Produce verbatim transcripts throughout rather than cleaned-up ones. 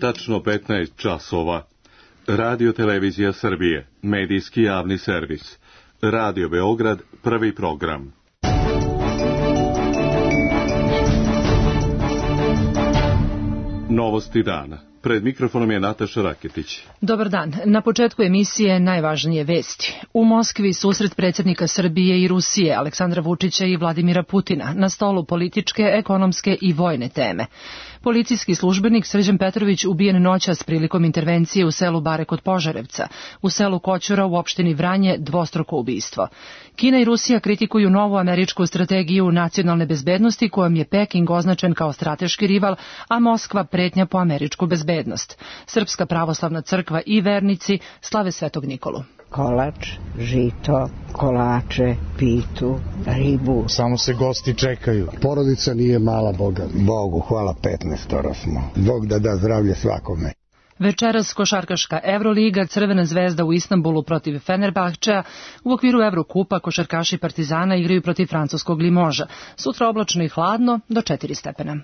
Tačno petnaest časova. Radio Televizija Srbije, medijski javni servis. Radio Beograd, prvi program. Novosti dana. Pred mikrofonom je Nataša Raketić. Dobar dan. Na početku emisije najvažnije vesti. U Moskvi susret predsjednika Srbije i Rusije, Aleksandra Vučića i Vladimira Putina. Na stolu političke, ekonomske i vojne teme. Policijski službenik Srđan Petrović ubijen noćas prilikom intervencije u selu Bare kod Požarevca. U selu Koćura u opštini Vranje dvostruko ubistvo. Kina i Rusija kritikuju novu američku strategiju nacionalne bezbednosti kojom je Peking označen kao strateški rival, a Moskva pretnja po američku bezbednost. Srpska pravoslavna crkva i vernici slave Svetog Nikolu. Kolač, žito, kolače, pitu, ribu. Samo se gosti čekaju. Porodica nije mala, Boga. Bogu hvala, petnaestoro smo. Bog da da zdravlje svakome. Večeras košarkaška Evroliga, Crvena zvezda u Istanbulu protiv Fenerbahčea. U okviru Evrokupa košarkaši Partizana igraju protiv francuskog Limoža. Sutra oblačno i hladno do četiri stepena.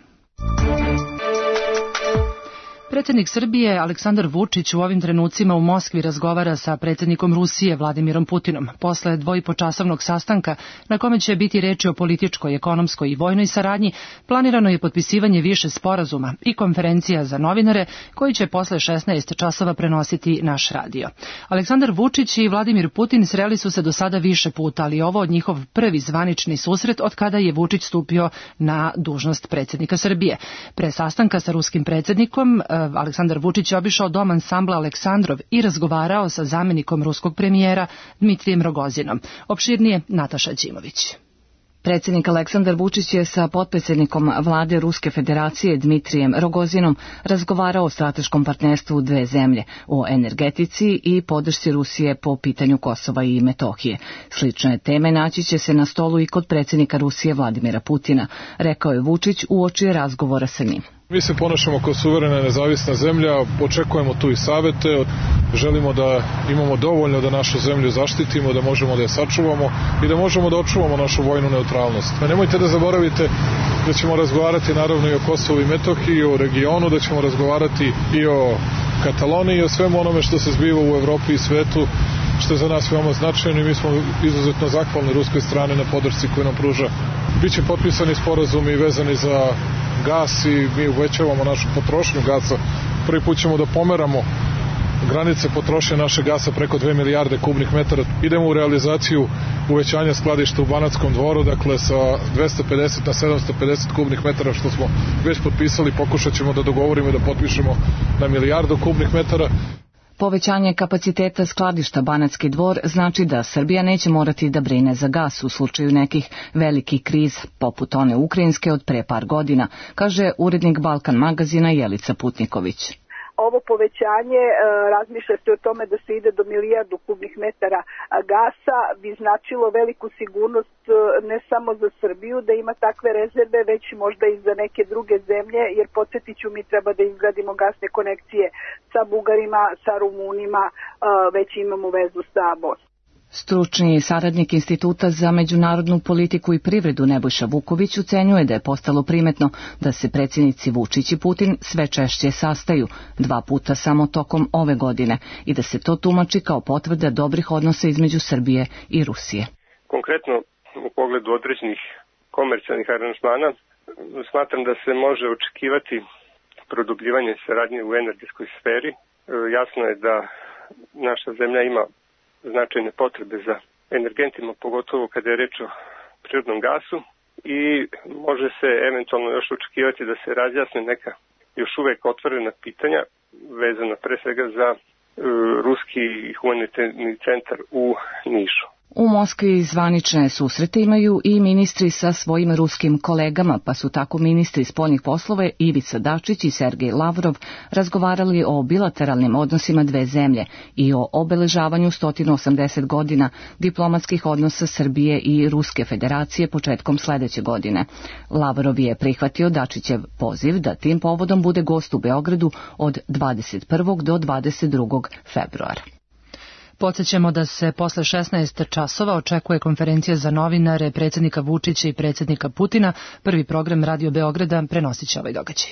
Predsjednik Srbije Aleksandar Vučić u ovim trenucima u Moskvi razgovara sa predsjednikom Rusije Vladimirom Putinom. Posle dvoipočasovnog sastanka na kome će biti reči o političkoj, ekonomskoj i vojnoj saradnji, planirano je potpisivanje više sporazuma i konferencija za novinare koji će posle šesnaest časova prenositi naš radio. Aleksandar Vučić i Vladimir Putin sreli su se do sada više puta, ali ovo od njihov prvi zvanični susret od kada je Vučić stupio na dužnost predsjednika Srbije. Pre sastanka sa ruskim predsjednikom Aleksandar Vučić je obišao dom ansambla Aleksandrov i razgovarao sa zamjenikom ruskog premijera Dmitrijem Rogozinom. Opširnije Nataša Đimović. Predsjednik Aleksandar Vučić je sa potpredsjednikom vlade Ruske federacije Dmitrijem Rogozinom razgovarao o strateškom partnerstvu dve zemlje, o energetici i podršci Rusije po pitanju Kosova i Metohije. Slične teme naći će se na stolu i kod predsjednika Rusije Vladimira Putina, rekao je Vučić uoči razgovora sa njim. Mi se ponašamo kao suverena i nezavisna zemlja, očekujemo tu i savete, želimo da imamo dovoljno da našu zemlju zaštitimo, da možemo da je sačuvamo i da možemo da očuvamo našu vojnu neutralnost. A nemojte da zaboravite da ćemo razgovarati naravno i o Kosovu i Metohiji, i o regionu, da ćemo razgovarati i o Kataloniji i o svemu onome što se zbiva u Evropi i svetu, što je za nas veoma značajno i mi smo izuzetno zahvalni ruskoj strane na podršci koju nam pruža. Biće potpisani sporazumi vezani za gas i mi uvećavamo našu potrošnju gasa. Prvi put ćemo da pomeramo granice potrošnje našeg gasa preko dve milijarde kubnih metara. Idemo u realizaciju uvećanja skladišta u Banatskom Dvoru, dakle sa dvesta pedeset na sedamsto pedeset kubnih metara što smo već potpisali, pokušat ćemo da dogovorimo i da potpišemo na milijardu kubnih metara. Povećanje kapaciteta skladišta Banatski Dvor znači da Srbija neće morati da brine za gas u slučaju nekih velikih kriz, poput one ukrajinske od pre par godina, kaže urednik Balkan magazina Jelica Putniković. Ovo povećanje, razmišlja se o tome da se ide do milijardu kubnih metara gasa, bi značilo veliku sigurnost ne samo za Srbiju da ima takve rezerve, već možda i za neke druge zemlje, jer podsjetit ću, mi treba da izgradimo gasne konekcije sa Bugarima, sa Rumunima, već imamo vezu sa Bosnom. Stručni saradnik Instituta za međunarodnu politiku i privredu Nebojša Vuković ocenjuje da je postalo primetno da se predsjednici Vučić i Putin sve češće sastaju, dva puta samo tokom ove godine, i da se to tumači kao potvrda dobrih odnosa između Srbije i Rusije. Konkretno, u pogledu određenih komercijalnih aranžmana, smatram da se može očekivati produbljivanje saradnje u energetskoj sferi. Jasno je da naša zemlja ima značajne potrebe za energentima, pogotovo kada je reč o prirodnom gasu, i može se eventualno još očekivati da se razjasne neka još uvek otvorena pitanja vezana pre svega za uh, ruski humanitarni centar u Nišu. U Moskvi zvanične susrete imaju i ministri sa svojim ruskim kolegama, pa su tako ministri spoljnih poslova Ivica Dačić i Sergej Lavrov razgovarali o bilateralnim odnosima dve zemlje i o obeležavanju sto osamdeset godina diplomatskih odnosa Srbije i Ruske federacije početkom sledeće godine. Lavrov je prihvatio Dačićev poziv da tim povodom bude gost u Beogradu od dvadeset prvog do dvadeset drugog februara. Podsjećamo da se posle šesnaest časova očekuje konferencija za novinare predsjednika Vučića i predsjednika Putina. Prvi program Radio Beograda prenosit će ovaj događaj.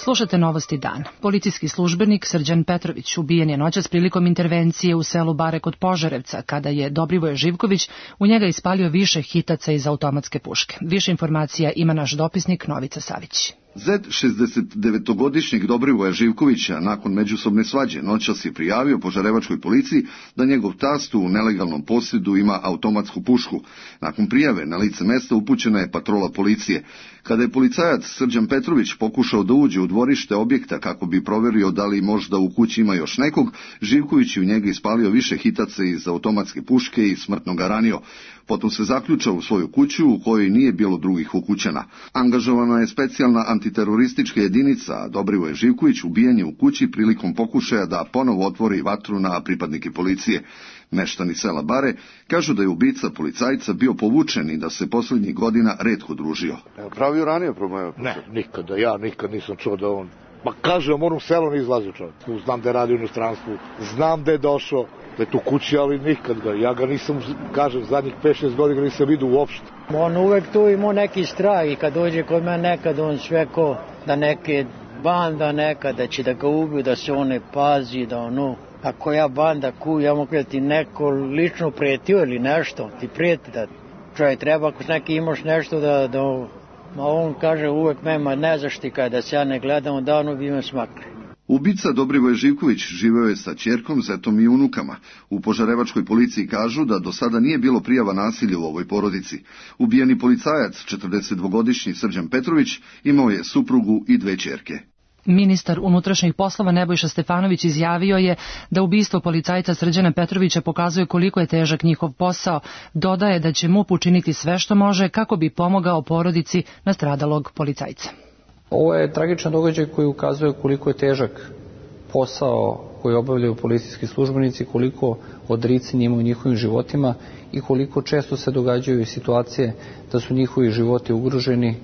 Slušate Novosti dan. Policijski službenik Srđan Petrović ubijen je noćas prilikom intervencije u selu Bare kod Požarevca, kada je Dobrivoje Živković u njega ispalio više hitaca iz automatske puške. Više informacija ima naš dopisnik Novica Savić. Zet šezdesetdevetogodišnjeg Dobrivoja Živkovića nakon međusobne svađe noćas je prijavio požarevačkoj policiji da njegov tast u nelegalnom posjedu ima automatsku pušku. Nakon prijave na lice mesta upućena je patrola policije. Kada je policajac Srđan Petrović pokušao da uđe u dvorište objekta kako bi proverio da li možda u kući ima još nekog, Živković je u njega ispalio više hitaca iz automatske puške i smrtno ga ranio. Potom se zaključao u svoju kuću u kojoj nije bilo drugih ukućana. Angažovana je specijalna antiteroristička jedinica, a Dobrivoje Živković ubijen je u kući prilikom pokušaja da ponovo otvori vatru na pripadnike policije. Meštani sela Bare kažu da je ubica policajca bio povučen i da se posljednjih godina retko družio. Pravio ranije probleme? Ne, nikada. Ja nikad nisam čuo da on... Ma kažem, on u selu ne izlazio čovjek. Znam da je radio u inostranstvu, znam da je došao, da je tu kući, ali nikad ga. Ja ga nisam, kažem, zadnjih pet šest godina nisam vidio uopšte. On uvek tu imao neki strah i kad dođe kod mene nekad on sve ko da neke banda neka, da će da ga ubiju, da se on ne pazi, da ono... Ako ja banda kuju, ja mogu da ti neko lično pretio ili nešto, ti prijeti da čovjek treba, ako neki imaš nešto da... da ma on kaže uvek mema ne zaštika, da se ja ne gledam, davno bi me smakli. Ubica Dobrivoje Živković živeo je sa ćerkom, zetom i unukama. U požarevačkoj policiji kažu da do sada nije bilo prijava nasilja u ovoj porodici. Ubijeni policajac, četrdesetdvogodišnji Srđan Petrović, imao je suprugu i dve ćerke. Ministar unutrašnjih poslova Nebojša Stefanović izjavio je da ubistvo policajca Srđana Petrovića pokazuje koliko je težak njihov posao. Dodaje da će M U P učiniti sve što može kako bi pomogao porodici nastradalog policajca. Ovo je tragičan događaj koji ukazuje koliko je težak posao koji obavljaju policijski službenici, koliko odricanja ima u njihovim životima i koliko često se događaju situacije da su njihovi životi ugroženi,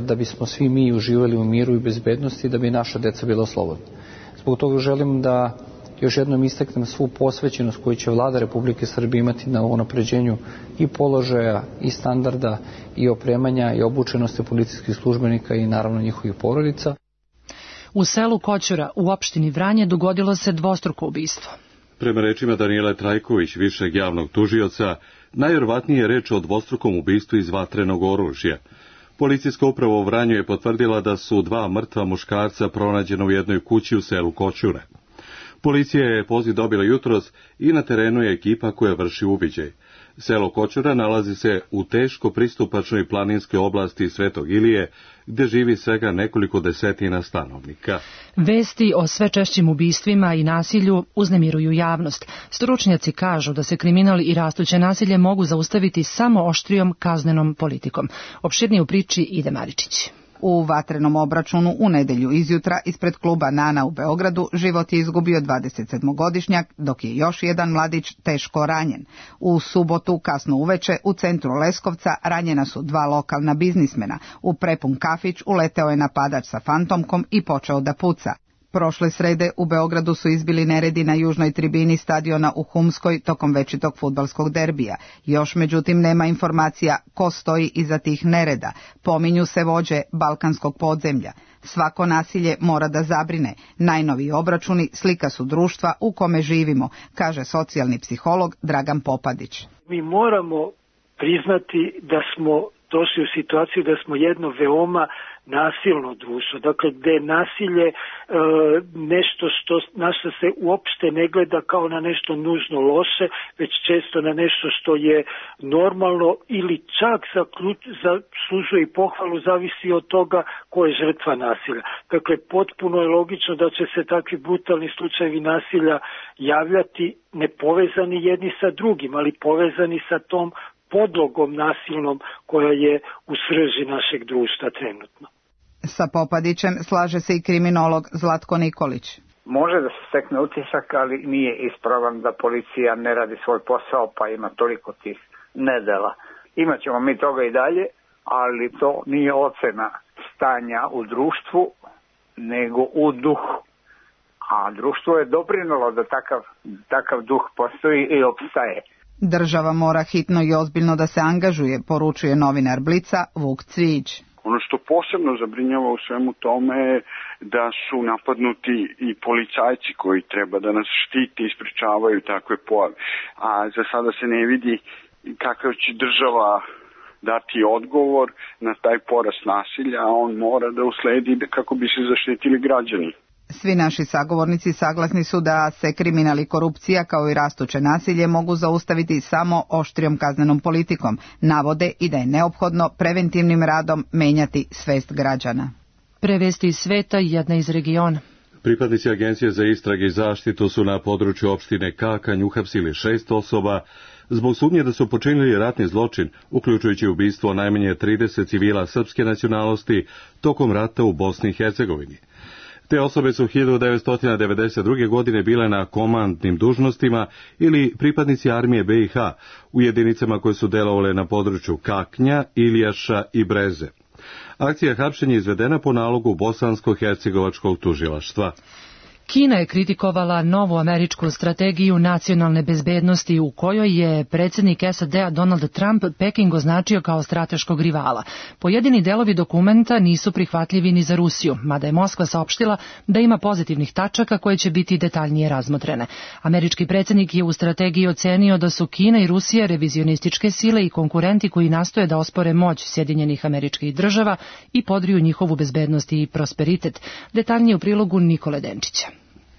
da bismo svi mi uživali u miru i bezbednosti, da bi naša deca bila slobodna. Zbog toga želim da još jednom istaknem svu posvećenost koju će Vlada Republike Srbije imati na unapređenju i položaja, i standarda, i opremanja, i obučenosti policijskih službenika i naravno njihovih porodica. U selu Koćura u opštini Vranje dogodilo se dvostruko ubistvo. Prema rečima Danijele Trajković, višeg javnog tužioca, najvjerovatnije je reč o dvostrukom ubistvu iz vatrenog oružja. Policijska uprava u Vranju je potvrdila da su dva mrtva muškarca pronađena u jednoj kući u selu Koćure. Policija je poziv dobila jutros i na terenu je ekipa koja vrši uviđaj. Selo Koćura nalazi se u teško pristupačnoj planinskoj oblasti Svetog Ilije, gde živi svega nekoliko desetina stanovnika. Vesti o sve češćim ubistvima i nasilju uznemiruju javnost. Stručnjaci kažu da se kriminal i rastuće nasilje mogu zaustaviti samo oštrijom kaznenom politikom. Opširnije u priči Ide Maričić. U vatrenom obračunu u nedelju izjutra ispred kluba Nana u Beogradu život je izgubio dvadesetsedmogodišnjak, dok je još jedan mladić teško ranjen. U subotu kasno uveče u centru Leskovca ranjena su dva lokalna biznismena. U prepun kafić uleteo je napadač sa fantomkom i počeo da puca. Prošle srede u Beogradu su izbili neredi na južnoj tribini stadiona u Humskoj tokom večitog fudbalskog derbija. Još međutim nema informacija ko stoji iza tih nereda. Pominju se vođe balkanskog podzemlja. Svako nasilje mora da zabrine. Najnoviji obračuni slika su društva u kome živimo, kaže socijalni psiholog Dragan Popadić. Mi moramo priznati da smo došli u situaciju da smo jedno veoma nasilno društvo, dakle gde je nasilje e, nešto što, na što se uopšte ne gleda kao na nešto nužno loše, već često na nešto što je normalno ili čak zaslužuje i pohvalu, zavisi od toga ko je žrtva nasilja. Dakle, potpuno je logično da će se takvi brutalni slučajevi nasilja javljati nepovezani jedni sa drugim, ali povezani sa tom podlogom nasilnom koja je u srži našeg društva trenutno. Sa Popadićem slaže se i kriminolog Zlatko Nikolić. Može da se stekne utisak, ali nije ispravan da policija ne radi svoj posao, pa ima toliko tih nedela. Imaćemo mi toga i dalje, ali to nije ocena stanja u društvu, nego u duhu. A društvo je doprinalo da takav, takav duh postoji i opstaje. Država mora hitno i ozbiljno da se angažuje, poručuje novinar Blica Vuk Cvijić. Ono što posebno zabrinjava u svemu tome je da su napadnuti i policajci koji treba da nas štite i sprečavaju takve pojave. A za sada se ne vidi kakav će država dati odgovor na taj porast nasilja, a on mora da usledi kako bi se zaštitili građani. Svi naši sagovornici saglasni su da se kriminal i korupcija kao i rastuće nasilje mogu zaustaviti samo oštrijom kaznenom politikom. Navode i da je neophodno preventivnim radom menjati svest građana. Prevesti iz sveta i jedna iz regiona. Pripadnici Agencije za istrage i zaštitu su na području opštine Kakanj uhapsili šest osoba zbog sumnje da su počinili ratni zločin, uključujući ubistvo najmanje trideset civila srpske nacionalnosti tokom rata u Bosni i Hercegovini. Te osobe su hiljadu devetsto devedeset druge. godine bile na komandnim dužnostima ili pripadnici armije B i H u jedinicama koje su delovale na području Kaknja, Iljaša i Breze. Akcija hapšenja je izvedena po nalogu Bosansko-hercegovačkog tužilaštva. Kina je kritikovala novu američku strategiju nacionalne bezbednosti u kojoj je predsjednik S A D-a Donald Trump Peking označio kao strateškog rivala. Pojedini delovi dokumenta nisu prihvatljivi ni za Rusiju, mada je Moskva saopštila da ima pozitivnih tačaka koje će biti detaljnije razmotrene. Američki predsjednik je u strategiji ocenio da su Kina i Rusija revizionističke sile i konkurenti koji nastoje da ospore moć Sjedinjenih Američkih Država i podriju njihovu bezbednost i prosperitet. Detaljnije u prilogu Nikole Denčića.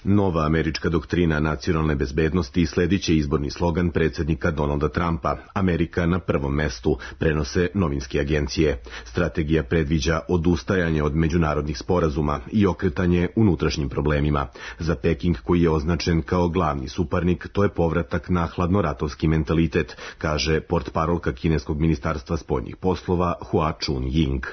Nova američka doktrina nacionalne bezbednosti slediće izborni slogan predsjednika Donalda Trumpa, Amerika na prvom mestu, prenose novinske agencije. Strategija predviđa odustajanje od međunarodnih sporazuma i okretanje unutrašnjim problemima. Za Peking, koji je označen kao glavni suparnik, to je povratak na hladnoratovski mentalitet, kaže portparolka kineskog ministarstva spoljnih poslova Hua Chunying.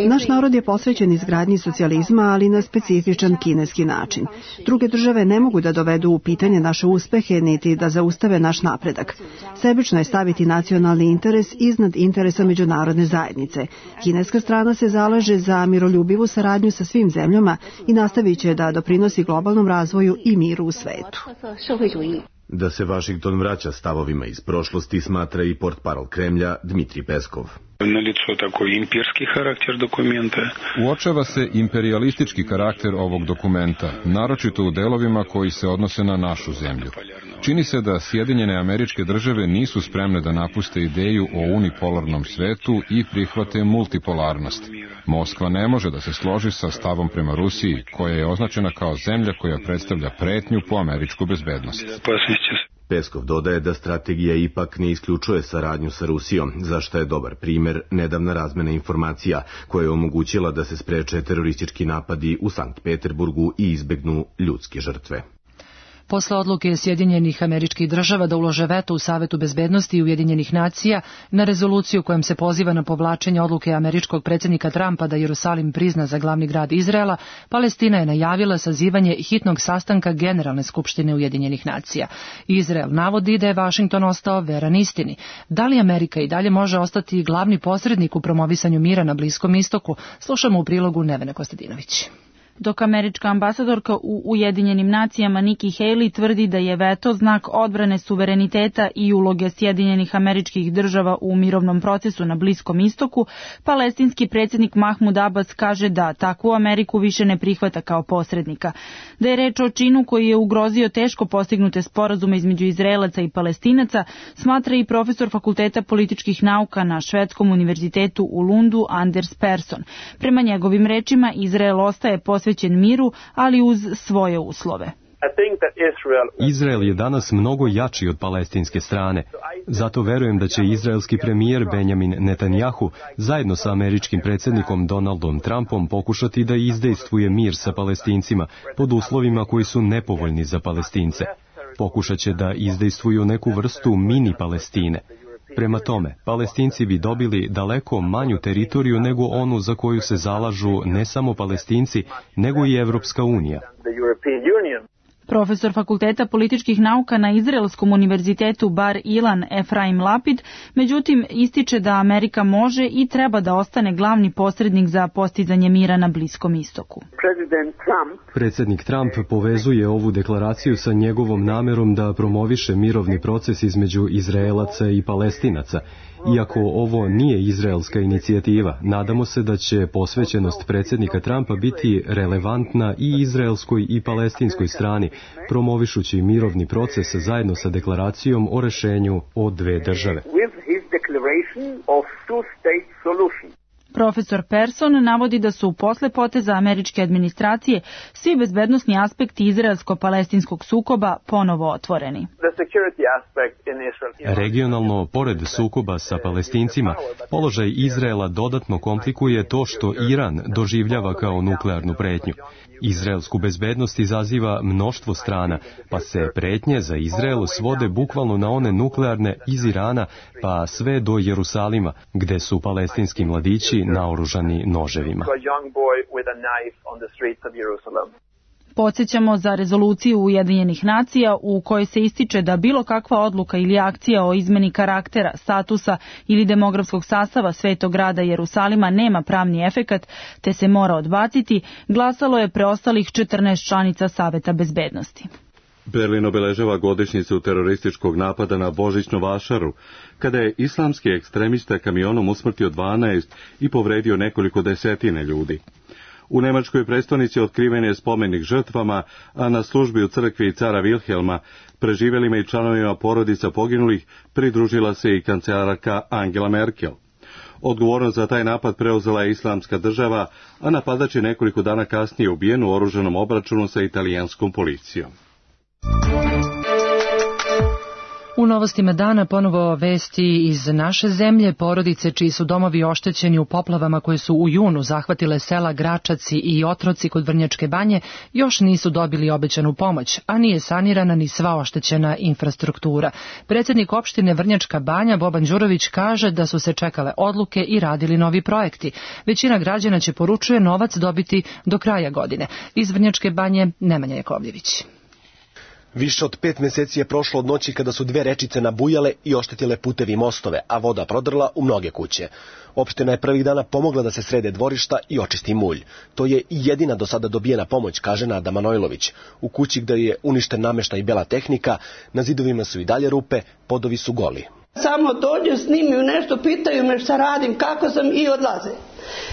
Naš narod je posvećen izgradnji socijalizma, ali na specifičan kineski način. Druge države ne mogu da dovedu u pitanje naše uspehe, niti da zaustave naš napredak. Sebično je staviti nacionalni interes iznad interesa međunarodne zajednice. Kineska strana se zalaže za miroljubivu saradnju sa svim zemljama i nastavit će da doprinosi globalnom razvoju i miru u svetu. Da se Vašington vraća stavovima iz prošlosti, smatra i portparol Kremlja Dmitrij Peskov. Uočava se imperijalistički karakter ovog dokumenta, naročito u delovima koji se odnose na našu zemlju. Čini se da Sjedinjene Američke Države nisu spremne da napuste ideju o unipolarnom svetu i prihvate multipolarnost. Moskva ne može da se složi sa stavom prema Rusiji, koja je označena kao zemlja koja predstavlja pretnju po američku bezbednost. Peskov dodaje da strategija ipak ne isključuje saradnju sa Rusijom, za što je dobar primjer nedavna razmena informacija koja je omogućila da se spreče teroristički napadi u Sankt Peterburgu i izbegnu ljudske žrtve. Posle odluke Sjedinjenih Američkih Država da ulože veto u Savetu bezbednosti Ujedinjenih nacija na rezoluciju kojom se poziva na povlačenje odluke američkog predsjednika Trumpa da Jerusalim prizna za glavni grad Izraela, Palestina je najavila sazivanje hitnog sastanka Generalne skupštine Ujedinjenih nacija. Izrael navodi da je Vašington ostao veran istini. Da li Amerika i dalje može ostati glavni posrednik u promovisanju mira na Bliskom istoku? Slušamo u prilogu Nevene Kostadinović. Dok američka ambasadorka u Ujedinjenim nacijama Nikki Haley tvrdi da je veto znak odbrane suvereniteta i uloge Sjedinjenih Američkih Država u mirovnom procesu na Bliskom istoku, palestinski predsjednik Mahmud Abbas kaže da takvu Ameriku više ne prihvata kao posrednika. Da je reč o činu koji je ugrozio teško postignute sporazume između Izraelaca i Palestinaca, smatra i profesor Fakulteta političkih nauka na Švedskom univerzitetu u Lundu Anders Persson. Prema njegovim rečima, Izrael ostaje posvećen miru, ali uz svoje uslove. Izrael je danas mnogo jači od palestinske strane. Zato verujem da će izraelski premijer Benjamin Netanjahu zajedno sa američkim predsjednikom Donaldom Trumpom pokušati da izdejstvuje mir sa Palestincima pod uslovima koji su nepovoljni za Palestince. Pokušat će da izdejstvuju neku vrstu mini Palestine. Prema tome, Palestinci bi dobili daleko manju teritoriju nego onu za koju se zalažu ne samo Palestinci, nego i Evropska unija. Profesor Fakulteta političkih nauka na Izraelskom univerzitetu Bar Ilan Efraim Lapid, međutim, ističe da Amerika može i treba da ostane glavni posrednik za postizanje mira na Bliskom istoku. Predsjednik Trump povezuje ovu deklaraciju sa njegovom namerom da promoviše mirovni proces između Izraelaca i Palestinaca Iako ovo nije izraelska inicijativa, nadamo se da će posvećenost predsjednika Trumpa biti relevantna i izraelskoj i palestinskoj strani, promovišući mirovni proces zajedno sa deklaracijom o rešenju o dve države. Profesor Person navodi da su posle poteza američke administracije svi bezbednosni aspekti izraelsko-palestinskog sukoba ponovo otvoreni. Regionalno, pored sukoba sa Palestincima, položaj Izraela dodatno komplikuje to što Iran doživljava kao nuklearnu pretnju. Izraelsku bezbednost izaziva mnoštvo strana, pa se pretnje za Izrael svode bukvalno na one nuklearne iz Irana, pa sve do Jerusalima, gde su palestinski mladići naoružani noževima. Podsjećamo za rezoluciju Ujedinjenih nacija u kojoj se ističe da bilo kakva odluka ili akcija o izmeni karaktera, statusa ili demografskog sastava Svetog grada Jerusalima nema pravni efekat, te se mora odbaciti, glasalo je preostalih četrnaest članica Saveta bezbednosti. Berlin obeležava godišnjicu terorističkog napada na Božićnu vašaru, kada je islamski ekstremista kamionom usmrtio dvanaest i povredio nekoliko desetine ljudi. U nemačkoj prestonici otkriven je spomenik žrtvama, a na službi u crkvi cara Wilhelma, preživjelima i članovima porodica poginulih, pridružila se i kancelarka Angela Merkel. Odgovornost za taj napad preuzela je Islamska država, a napadač je nekoliko dana kasnije ubijen u oružanom obračunu sa italijanskom policijom. U novostima dana ponovo vesti iz naše zemlje. Porodice čiji su domovi oštećeni u poplavama koje su u junu zahvatile sela Gračaci i Otroci kod Vrnjačke Banje još nisu dobili obećanu pomoć, a nije sanirana ni sva oštećena infrastruktura. Predsjednik opštine Vrnjačka Banja Boban Đurović kaže da su se čekale odluke i radili novi projekti. Većina građana će, poručuje, novac dobiti do kraja godine. Iz Vrnjačke Banje Nemanja Jakovljević. Više od pet mjeseci je prošlo od noći kada su dve rečice nabujale i oštetile putevi i mostove, a voda prodrla u mnoge kuće. Opština je prvih dana pomogla da se srede dvorišta i očisti mulj. To je i jedina do sada dobijena pomoć, kaže Nada Manojlović. U kući gdje je uništen namještaj i bela tehnika, na zidovima su i dalje rupe, podovi su goli. Samo dođu, snimaju nešto, pitaju me šta radim, kako sam i odlaze.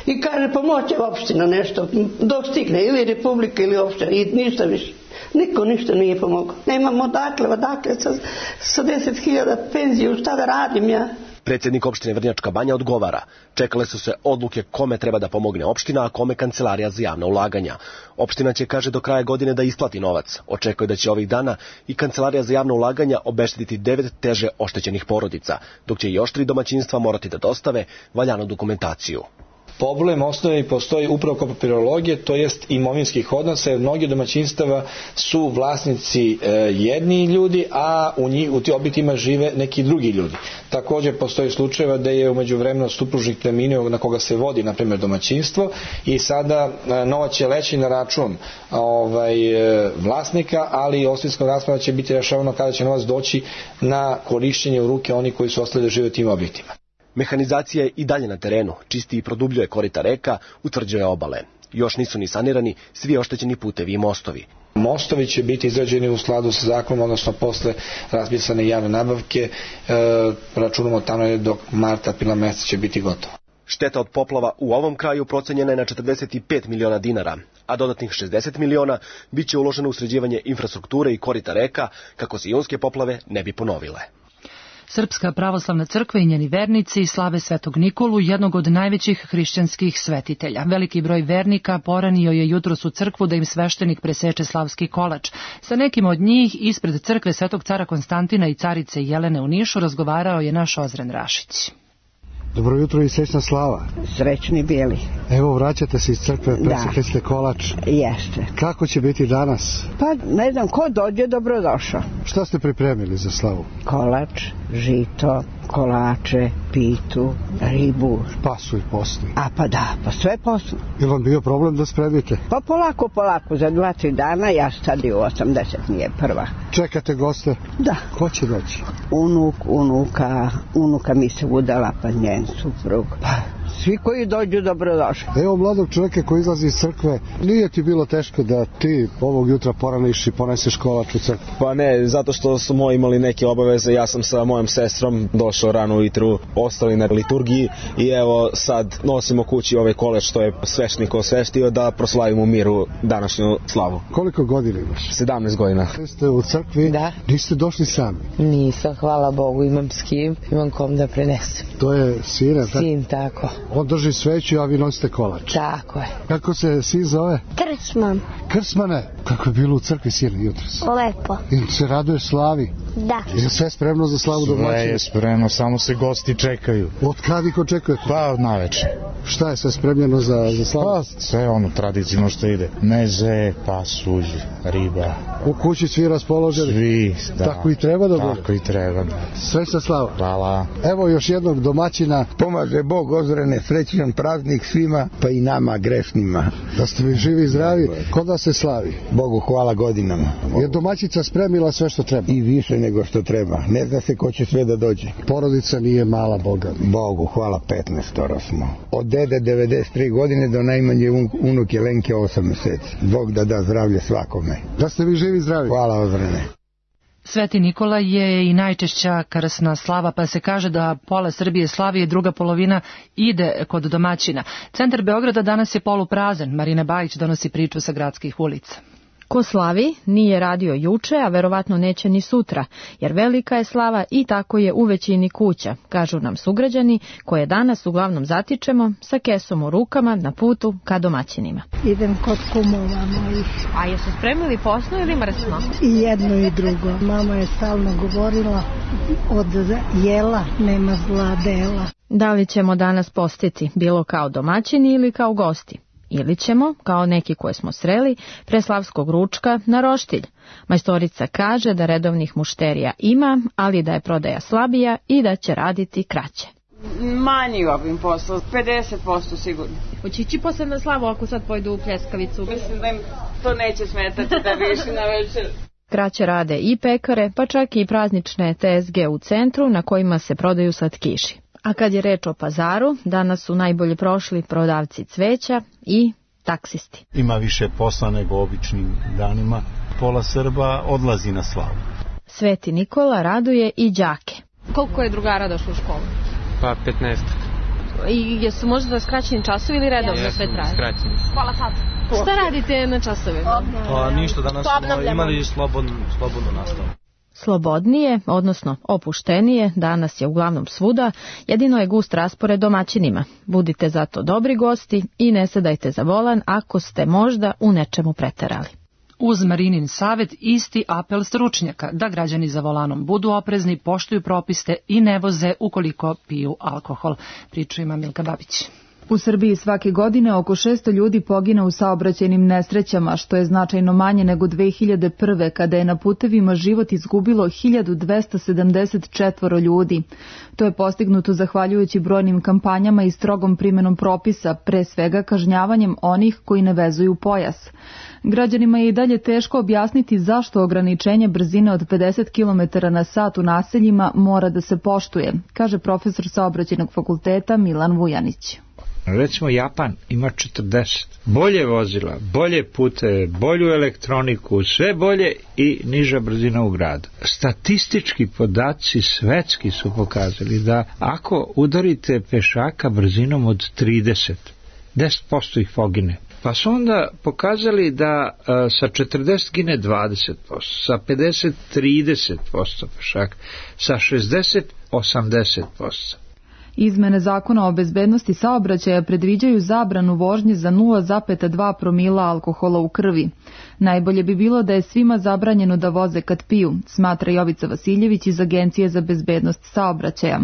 I kaže pomoće opština nešto, dok stigne ili Republika ili opština i ništa više. Niko ništa nije pomogao. Nemamo odakle, odakle sa, sa deset hiljada penziju, šta da radim ja? Predsjednik opštine Vrnjačka Banja odgovara. Čekale su se odluke kome treba da pomogne opština, a kome kancelarija za javna ulaganja. Opština će, kaže, do kraja godine da isplati novac. Očekuje da će ovih dana i kancelarija za javna ulaganja obeštetiti devet teže oštećenih porodica, dok će i još tri domaćinstva morati da dostave valjanu dokumentaciju. Problem osnovi postoji upravo kod papirologije, to jest imovinskih odnosa, jer mnogi domaćinstava su vlasnici e, jedni ljudi, a u, njih, u ti objektima žive neki drugi ljudi. Također postoji slučajeva da je u međuvremenu supružnik preminuo na koga se vodi, na primjer, domaćinstvo, i sada e, novac će leći na račun ovaj, e, vlasnika, ali ostavinska rasprava će biti rešavano kada će novac doći na korišćenje u ruke oni koji su ostali da žive u tim objektima. Mehanizacija je i dalje na terenu, čisti i produbljuje korita reka, utvrđuje obale. Još nisu ni sanirani svi oštećeni putevi i mostovi. Mostovi će biti izrađeni u skladu sa zakonom, odnosno posle raspisane javne nabavke, e, računamo tamo do marta, aprila meseca će biti gotovo. Šteta od poplava u ovom kraju procenjena je na četrdeset pet miliona dinara, a dodatnih šezdeset miliona bit će uloženo u sređivanje infrastrukture i korita reka kako se junske poplave ne bi ponovile. Srpska pravoslavna crkva i njeni vernici slave Svetog Nikolu, jednog od najvećih hrišćanskih svetitelja. Veliki broj vernika poranio je jutros u crkvu da im sveštenik preseče slavski kolač. Sa nekim od njih ispred crkve Svetog cara Konstantina i carice Jelene u Nišu razgovarao je naš Ozren Rašić. Dobro jutro i srećna slava. Srećni bili. Evo, vraćate se iz crkve, presekli ste kolač. Jeste. Kako će biti danas? Pa ne znam, ko dođe, dobrodošao. Šta ste pripremili za slavu? Kolač, žito, kolače, pitu, ribu. Pasu i posni. A pa da, pa sve posno. Je vam bio problem da spremite? Pa polako, polako, za dva, tri dana, ja stadi u osamdeset, nije prva. Čekate goste? Da. Ko će doći? Unuk, unuka, unuka mi se udala, pa njen suprug. Pa, Svi koji dođu dobrodošli. Evo mladog čovjeka koji izlazi iz crkve, nije ti bilo teško da ti ovog jutra poraniš i poneseš kolač u crkvu? Pa ne, zato što su moji imali neke obaveze, ja sam sa mojom sestrom došao rano ujutru, ostali na liturgiji i evo sad nosimo kući ovaj kolač što je sveštenik osveštio da proslavimo u miru današnju slavu. Koliko godina imaš? sedamnaest godina. Ste u crkvi? Da. Niste došli sami? Nisam, hvala Bogu, imam s kim, imam kom da prenesem. To je sine? Sin, tako. On drži sveću, a vi nosite kolač. Tako je. Kako se sin zove? Krsman. Krsmane, kako je bilo u crkvi sine jutros? Lepo. I se raduješ slavi? Da. Je sve spremno za slavu domaćina? Sve je spremno, samo se gosti čekaju. Od kad ih očekujete? Pa, naveče. Šta je sve spremljeno za, za slavu? Pa, sve ono tradicionalno što ide. Meze, pasulj, riba. U kući svi raspoloženi? Svi, da. Tako i treba da bude? Tako i treba, da. Sve sa slavom? Hvala. Evo još jednog domaćina. Pomaže Bog ozrene, srećan praznik svima, pa i nama grešnima. Da ste mi živi i zdravi, kod vas se slavi? Bogu hvala godinama. Je domaćica spremila sve što treba? I više nego što treba. Ne zna se ko će sve da dođe. Porodica nije mala, Boga. Bogu hvala, petnaestoro smo. Od dede devedeset tri godine do najmanje unuke Lenke osam meseci. Bog da da zdravlje svakome. Da ste vi živi i zdravi. Hvala ozrene. Sveti Nikola je i najčešća krsna slava, pa se kaže da pola Srbije slavi i druga polovina ide kod domaćina. Centar Beograda danas je poluprazan. Marina Bajić donosi priču sa gradskih ulica. Ko slavi nije radio juče, a verovatno neće ni sutra, jer velika je slava i tako je u većini kuća, kažu nam sugrađani, koje danas uglavnom zatičemo sa kesom u rukama na putu ka domaćinima. Idem kod kumova mojih. A jesu spremili posno ili mrsno? I jedno i drugo. Mama je stalno govorila, od jela nema zla dela. Da li ćemo danas postiti, bilo kao domaćini ili kao gosti? Ili ćemo, kao neki koje smo sreli, pre slavskog ručka na roštilj. Majstorica kaže da redovnih mušterija ima, ali da je prodaja slabija i da će raditi kraće. Manji obim posla, pedeset posto sigurno. Hoće ići posle na slavu ako sad pojdu u pljeskavicu? Mislim da im to neće smetati da više na večer. Kraće rade i pekare, pa čak i praznične te es ge u centru na kojima se prodaju slatkiši. A kad je reč o pazaru, danas su najbolje prošli prodavci cveća i taksisti. Ima više posla nego običnim danima. Pola Srba odlazi na slavu. Sveti Nikola raduje i đake. Koliko je drugara došlo u školu? Pa petnaest. I jesu možda skraćeni časovi ili redovno ja, sve traje? Skraćeni. Hvala sad. Šta radite na časovima? Pa ništa, danas smo imali slobodnu, slobodnu nastavu. Slobodnije, odnosno opuštenije, danas je uglavnom svuda, jedino je gust raspored domaćinima. Budite zato dobri gosti i ne sedajte za volan ako ste možda u nečemu preterali. Uz Marinin savet isti apel stručnjaka da građani za volanom budu oprezni, poštuju propiste i ne voze ukoliko piju alkohol. Priču ima Milka Babić. U Srbiji svake godine oko šesto ljudi pogine u saobraćajnim nesrećama, što je značajno manje nego dve hiljade prve. kada je na putevima život izgubilo hiljadu dvesta sedamdeset četvoro ljudi. To je postignuto zahvaljujući brojnim kampanjama i strogom primenom propisa, pre svega kažnjavanjem onih koji ne vezuju pojas. Građanima je i dalje teško objasniti zašto ograničenje brzine od pedeset kilometara na sat u naseljima mora da se poštuje, kaže profesor saobraćajnog fakulteta Milan Vujanić. Recimo Japan ima četrdeset. Bolje vozila, bolje puteve, bolju elektroniku, sve bolje i niža brzina u gradu. Statistički podaci svetski su pokazali da ako udarite pešaka brzinom od trideset, deset posto ih pogine. Pa su onda pokazali da a, sa četrdeset gine dvadeset posto, sa pedeset trideset posto pešaka, sa šezdeset osamdeset posto. Izmene zakona o bezbednosti saobraćaja predviđaju zabranu vožnje za nula zarez dva promila alkohola u krvi. Najbolje bi bilo da je svima zabranjeno da voze kad piju, smatra Jovica Vasiljević iz Agencije za bezbednost saobraćaja.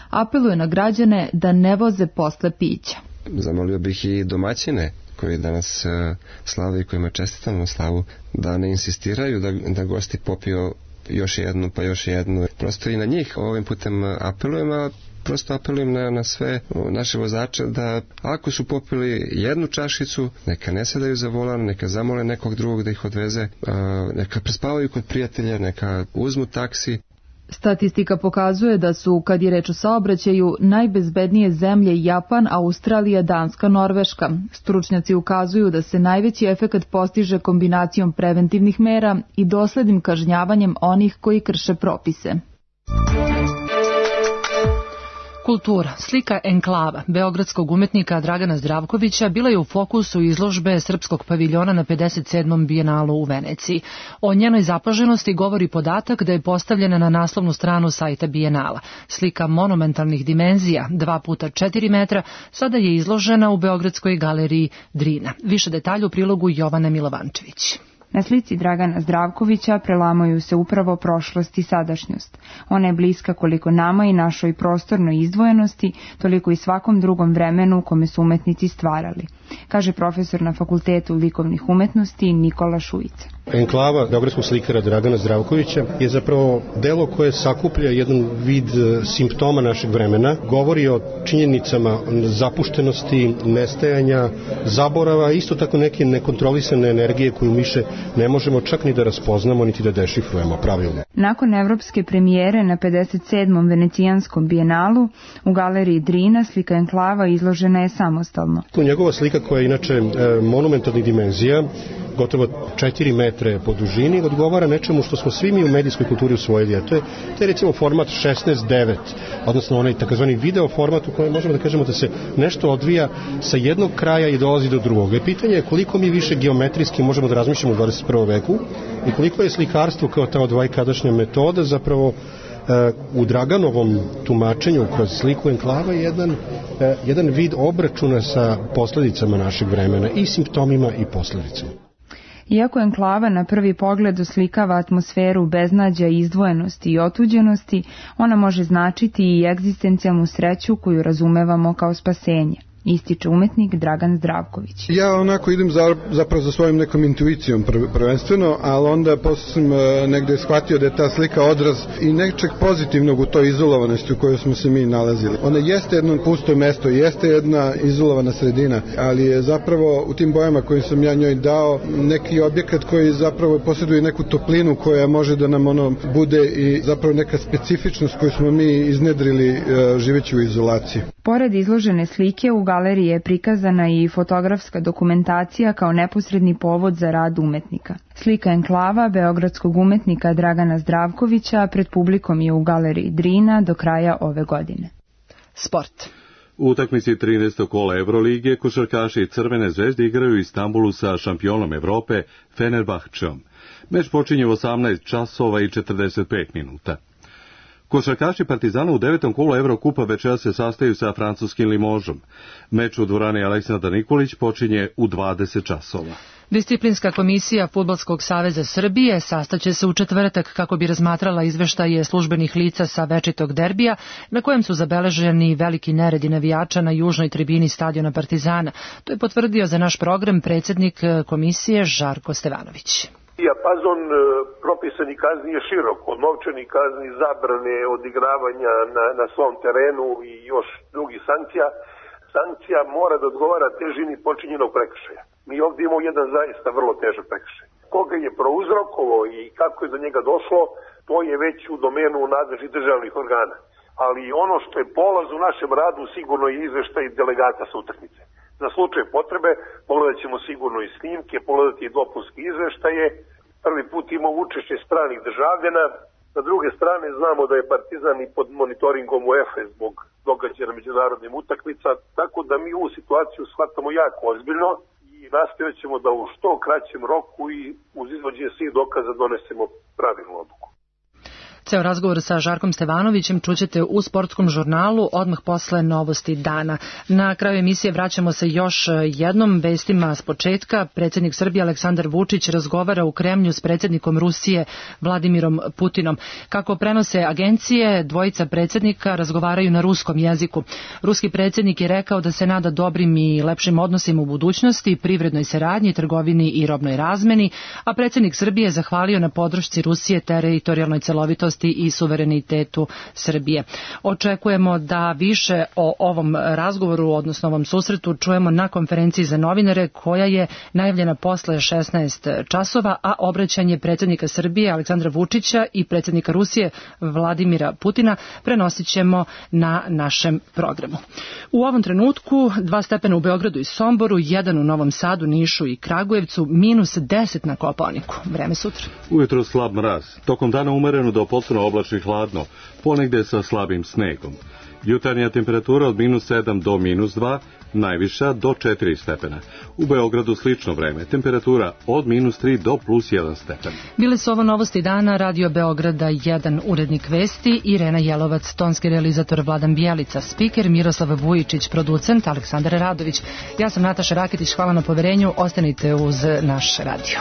Apeluje na građane da ne voze posle pića. Zamolio bih i domaćine koji danas uh, slave i kojima čestitamo slavu, da ne insistiraju da, da gosti popiju još jednu pa još jednu. Prosto i na njih ovim putem apelujem, a prosto apelujem na, na sve naše vozače da ako su popili jednu čašicu, neka ne sedaju za volan, neka zamole nekog drugog da ih odveze, uh, neka prespavaju kod prijatelja, neka uzmu taksi. Statistika pokazuje da su, kad je reč o saobraćaju, najbezbednije zemlje Japan, Australija, Danska, Norveška. Stručnjaci ukazuju da se najveći efekat postiže kombinacijom preventivnih mera i doslednim kažnjavanjem onih koji krše propise. Kultura. Slika Enklava, beogradskog umetnika Dragana Zdravkovića, bila je u fokusu izložbe Srpskog paviljona na pedeset sedmom bijenalu u Veneciji. O njenoj zapaženosti govori podatak da je postavljena na naslovnu stranu sajta bijenala. Slika monumentalnih dimenzija, dva puta četiri metra, sada je izložena u Beogradskoj galeriji Drina. Više detalja u prilogu Jovane Milovančević. Na slici Dragana Zdravkovića prelamaju se upravo prošlost i sadašnjost. Ona je bliska koliko nama i našoj prostornoj izdvojenosti, toliko i svakom drugom vremenu u kome su umetnici stvarali, kaže profesor na Fakultetu likovnih umetnosti Nikola Šujica. Enklava beogradskog slikara Dragana Zdravkovića je zapravo delo koje sakuplja jedan vid simptoma našeg vremena, govori o činjenicama zapuštenosti, nestajanja, zaborava, isto tako neke nekontrolisane energije koju više ne možemo čak ni da raspoznamo, niti da dešifrujemo pravilno. Nakon evropske premijere na pedeset sedmom venecijanskom bijenalu, u galeriji Drina slika Enklava izložena je samostalno. Njegova slika koja je inače monumentalnih dimenzija, gotovo četiri metre po dužini, odgovara nečemu što smo svi mi u medijskoj kulturi usvojili, a to je, to je recimo format šesnaest devet, odnosno onaj takozvani video format u kojem možemo da kažemo da se nešto odvija sa jednog kraja i dolazi do drugog. I pitanje je koliko mi više geometrijski možemo da razmišljamo u dvadeset prvom veku i koliko je slikarstvo kao ta odvajkadašnja metoda zapravo u Draganovom tumačenju kroz sliku Enklava je jedan, jedan vid obračuna sa posledicama našeg vremena i simptomima i posledicama. Iako Enklava na prvi pogled oslikava atmosferu beznađa, izdvojenosti i otuđenosti, ona može značiti i egzistencijalnu sreću koju razumevamo kao spasenje, ističe umetnik Dragan Zdravković. Ja onako idem za, zapravo za svojom nekom intuicijom prvenstveno, ali onda posle sam negde shvatio da je ta slika odraz i nečeg pozitivnog u toj izolovanosti u kojoj smo se mi nalazili. Ona jeste jedno pusto mesto, jeste jedna izolovana sredina, ali je zapravo u tim bojama koje sam ja njoj dao neki objekat koji zapravo posjeduje neku toplinu koja može da nam ono bude i zapravo neka specifičnost koju smo mi iznedrili živeći u izolaciji. Pored izložene slike u galeriji je prikazana i fotografska dokumentacija kao neposredni povod za rad umetnika. Slika Enklava beogradskog umetnika Dragana Zdravkovića pred publikom je u galeriji Drina do kraja ove godine. Sport. U utakmici trinaestog kola Evrolige košarkaši Crvene zvezde igraju u Istanbulu sa šampionom Evrope Fenerbahčeom. Meč počinje u osamnaest časova i četrdeset pet minuta. Košarkaši Partizana u devetom kolu Evrokupa večeras se sastaju sa francuskim Limožom. Meč u dvorani Aleksandar Nikolić počinje u dvadeset časova. Disciplinska komisija Fudbalskog saveza Srbije sastaće se u četvrtak kako bi razmatrala izveštaje službenih lica sa večitog derbija, na kojem su zabeleženi veliki neredi navijača na južnoj tribini stadiona Partizana. To je potvrdio za naš program predsjednik komisije Žarko Stevanović. Dijapazon propisani kazni je širok, od novčanih kazni, zabrane, odigravanja na, na svom terenu i još drugih sankcija. Sankcija mora da odgovara težini počinjenog prekršaja. Mi ovdje imamo jedan zaista vrlo težak prekršaj. Koga je prouzrokovao i kako je do njega došlo, to je već u domenu nadležnih državnih organa. Ali ono što je polaz u našem radu sigurno je izveštaj delegata sa utakmice. Za slučaj potrebe pogledat ćemo sigurno i snimke, pogledati i dopunske izveštaje. Prvi put imamo učešće stranih državljana. Sa druge strane znamo da je Partizan i pod monitoringom UEFA zbog događaja na međunarodnim utakmica, tako da mi ovu situaciju shvatamo jako ozbiljno i nastojat ćemo da u što kraćem roku i uz izvođenje svih dokaza donesemo pravilnu odluku. Ceo razgovor sa Žarkom Stevanovićem čućete u sportskom žurnalu odmah posle novosti dana. Na kraju emisije vraćamo se još jednom vestima s početka. Predsjednik Srbije Aleksandar Vučić razgovara u Kremlju s predsjednikom Rusije Vladimirom Putinom. Kako prenose agencije, dvojica predsjednika razgovaraju na ruskom jeziku. Ruski predsjednik je rekao da se nada dobrim i lepšim odnosima u budućnosti, privrednoj saradnji, trgovini i robnoj razmeni, a predsjednik Srbije je zahvalio na podršci Rusije teritorijalnoj celovitosti nezavisnosti i suverenitetu Srbije. Očekujemo da više o ovom razgovoru, odnosno ovom susretu, čujemo na konferenciji za novinare koja je najavljena posle šesnaest časova, a obraćanje predsjednika Srbije Aleksandra Vučića i predsjednika Rusije Vladimira Putina prenosit ćemo na našem programu. U ovom trenutku dva stepena u Beogradu i Somboru, jedan u Novom Sadu, Nišu i Kragujevcu, minus deset na Kopaoniku. Vreme sutra. Ujutro slab mraz, tokom dana umereno do potpuno oblačno i hladno, ponegde sa slabim snegom. Jutarnja temperatura od minus sedam do minus dva, najviša do četiri stepena. U Beogradu slično vreme, temperatura od minus tri do plus jedan stepen. Bile su ovo novosti dana, Radio Beograda jedan, urednik vesti, Irena Jelovac, tonski realizator Vladan Bijelica, spiker Miroslav Vujičić, producent Aleksandar Radović. Ja sam Nataša Raketić, hvala na poverenju, ostanite uz naš radio.